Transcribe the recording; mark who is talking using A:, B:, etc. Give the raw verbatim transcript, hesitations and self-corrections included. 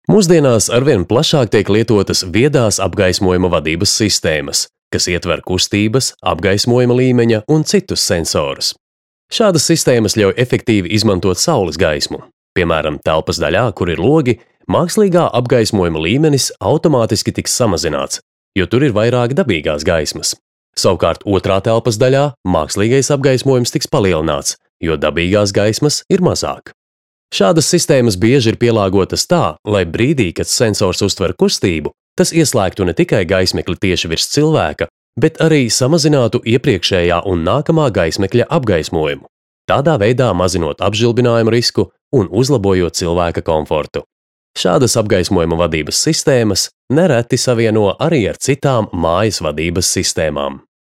A: Mūsdienās arvien plašāk tiek lietotas viedās apgaismojuma vadības sistēmas, kas ietver kustības, apgaismojuma līmeņa un citus sensorus. Šādas sistēmas ļauj efektīvi izmantot saules gaismu. Piemēram, telpas daļā, kur ir logi, mākslīgā apgaismojuma līmenis automātiski tiks samazināts, jo tur ir vairāk dabīgās gaismas. Savukārt otrā telpas daļā mākslīgais apgaismojums tiks palielināts, jo dabīgās gaismas ir mazāk. Šādas sistēmas bieži ir pielāgotas tā, lai brīdī, kad sensors uztver kustību, tas ieslēgtu ne tikai gaismekli tieši virs cilvēka, bet arī samazinātu iepriekšējā un nākamā gaismekļa apgaismojumu, tādā veidā mazinot apžilbinājumu risku un uzlabojot cilvēka komfortu. Šādas apgaismojuma vadības sistēmas nereti savieno arī ar citām mājas vadības sistēmām.